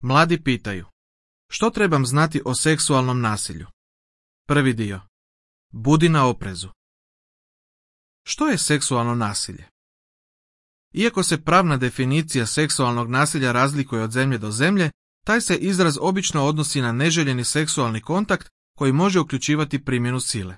Mladi pitaju: što trebam znati o seksualnom nasilju? Prvi dio. Budi na oprezu. Što je seksualno nasilje? Iako se pravna definicija seksualnog nasilja razlikuje od zemlje do zemlje, taj se izraz obično odnosi na neželjeni seksualni kontakt koji može uključivati primjenu sile.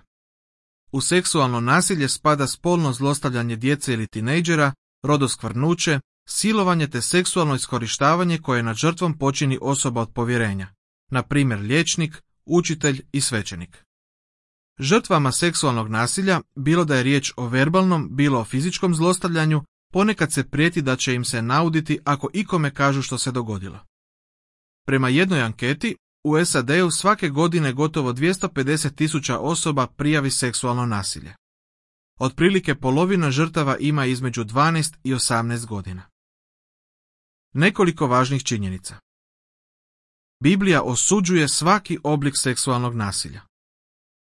U seksualno nasilje spada spolno zlostavljanje djece ili tinejdžera, rodoskvrnuće, silovanje te seksualno iskorištavanje koje nad žrtvom počini osoba od povjerenja, na primjer liječnik, učitelj i svećenik. Žrtvama seksualnog nasilja, bilo da je riječ o verbalnom, bilo o fizičkom zlostavljanju, ponekad se prijeti da će im se nauditi ako ikome kažu što se dogodilo. Prema jednoj anketi, u SAD-u svake godine gotovo 250.000 osoba prijavi seksualno nasilje. Otprilike polovina žrtava ima između 12 i 18 godina. Nekoliko važnih činjenica. Biblija osuđuje svaki oblik seksualnog nasilja.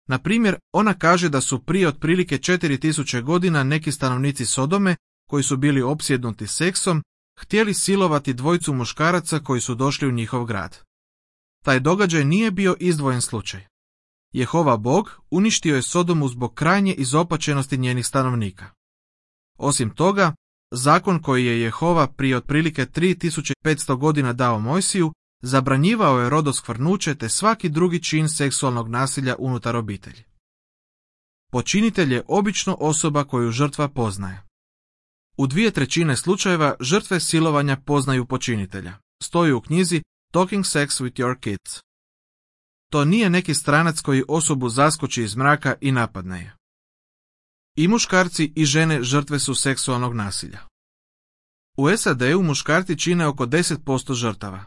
Na primjer, ona kaže da su prije otprilike 4000 godina neki stanovnici Sodome, koji su bili opsjednuti seksom, htjeli silovati dvojicu muškaraca koji su došli u njihov grad. Taj događaj nije bio izdvojen slučaj. Jehova Bog uništio je Sodomu zbog krajnje izopačenosti njenih stanovnika. Osim toga, zakon koji je Jehova prije otprilike 3500 godina dao Mojsiju, zabranjivao je rodoskvrnuće te svaki drugi čin seksualnog nasilja unutar obitelji. Počinitelj je obično osoba koju žrtva poznaje. U 2/3 slučajeva žrtve silovanja poznaju počinitelja. Stoji u knjizi Talking Sex with Your Kids. To nije neki stranac koji osobu zaskoči iz mraka i napadne je. I muškarci i žene žrtve su seksualnog nasilja. U SAD-u muškarci čine oko 10% žrtava.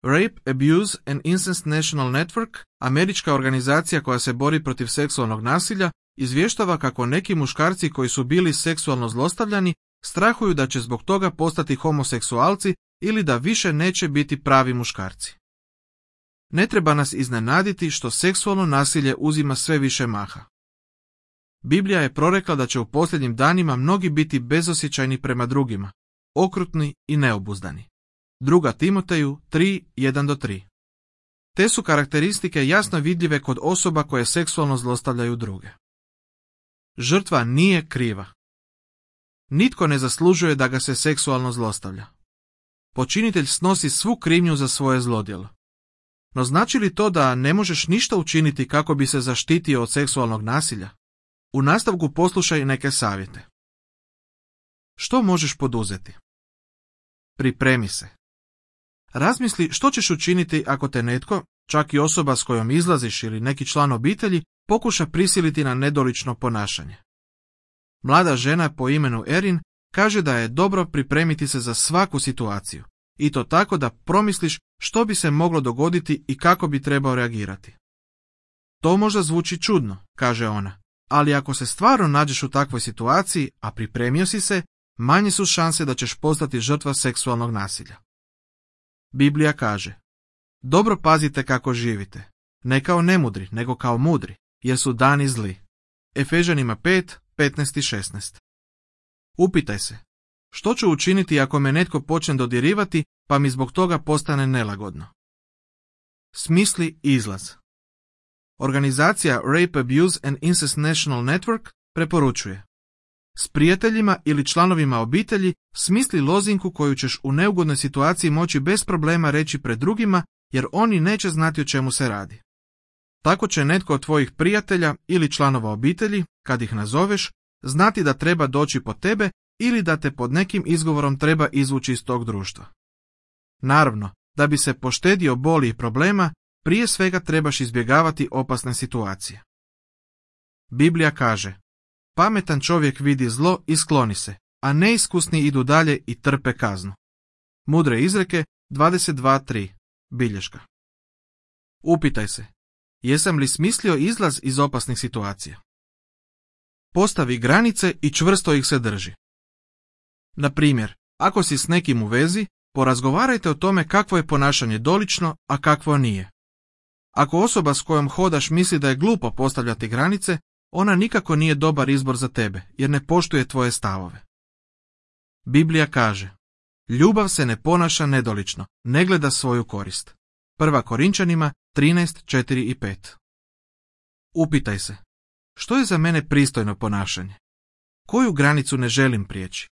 Rape, Abuse and Incest National Network, američka organizacija koja se bori protiv seksualnog nasilja, izvještava kako neki muškarci koji su bili seksualno zlostavljani strahuju da će zbog toga postati homoseksualci ili da više neće biti pravi muškarci. Ne treba nas iznenaditi što seksualno nasilje uzima sve više maha. Biblija je prorekla da će u posljednjim danima mnogi biti bezosjećajni prema drugima, okrutni i neobuzdani. 2. Timoteju 3:1-3. Te su karakteristike jasno vidljive kod osoba koje seksualno zlostavljaju druge. Žrtva nije kriva. Nitko ne zaslužuje da ga se seksualno zlostavlja. Počinitelj snosi svu krivnju za svoje zlodjelo. No znači li to da ne možeš ništa učiniti kako bi se zaštitio od seksualnog nasilja? U nastavku poslušaj neke savjete. Što možeš poduzeti? Pripremi se. Razmisli što ćeš učiniti ako te netko, čak i osoba s kojom izlaziš ili neki član obitelji, pokuša prisiliti na nedolično ponašanje. Mlada žena po imenu Erin kaže da je dobro pripremiti se za svaku situaciju, i to tako da promisliš što bi se moglo dogoditi i kako bi trebao reagirati. To možda zvuči čudno, kaže ona, ali ako se stvarno nađeš u takvoj situaciji, a pripremio si se, manje su šanse da ćeš postati žrtva seksualnog nasilja. Biblija kaže: dobro pazite kako živite, ne kao nemudri, nego kao mudri, jer su dani zli. Efežanima 5:15-16. Upitaj se, što ću učiniti ako me netko počne dodirivati pa mi zbog toga postane nelagodno? Smisli izlaz. Organizacija Rape, Abuse and Incest National Network preporučuje: s prijateljima ili članovima obitelji smisli lozinku koju ćeš u neugodnoj situaciji moći bez problema reći pred drugima, jer oni neće znati o čemu se radi. Tako će netko od tvojih prijatelja ili članova obitelji, kad ih nazoveš, znati da treba doći po tebe ili da te pod nekim izgovorom treba izvući iz tog društva. Naravno, da bi se poštedio boli i problema, prije svega trebaš izbjegavati opasne situacije. Biblija kaže: pametan čovjek vidi zlo i skloni se, a neiskusni idu dalje i trpe kaznu. Mudre izreke 22:3. Bilješka. Upitaj se, jesam li smislio izlaz iz opasnih situacija? Postavi granice i čvrsto ih se drži. Na primjer, ako si s nekim u vezi, porazgovarajte o tome kakvo je ponašanje dolično, a kakvo nije. Ako osoba s kojom hodaš misli da je glupo postavljati granice, ona nikako nije dobar izbor za tebe, jer ne poštuje tvoje stavove. Biblija kaže: Ljubav se ne ponaša nedolično, ne gleda svoju korist. 1. Korinčanima 13:4 i 5. Upitaj se, što je za mene pristojno ponašanje? Koju granicu ne želim prijeći?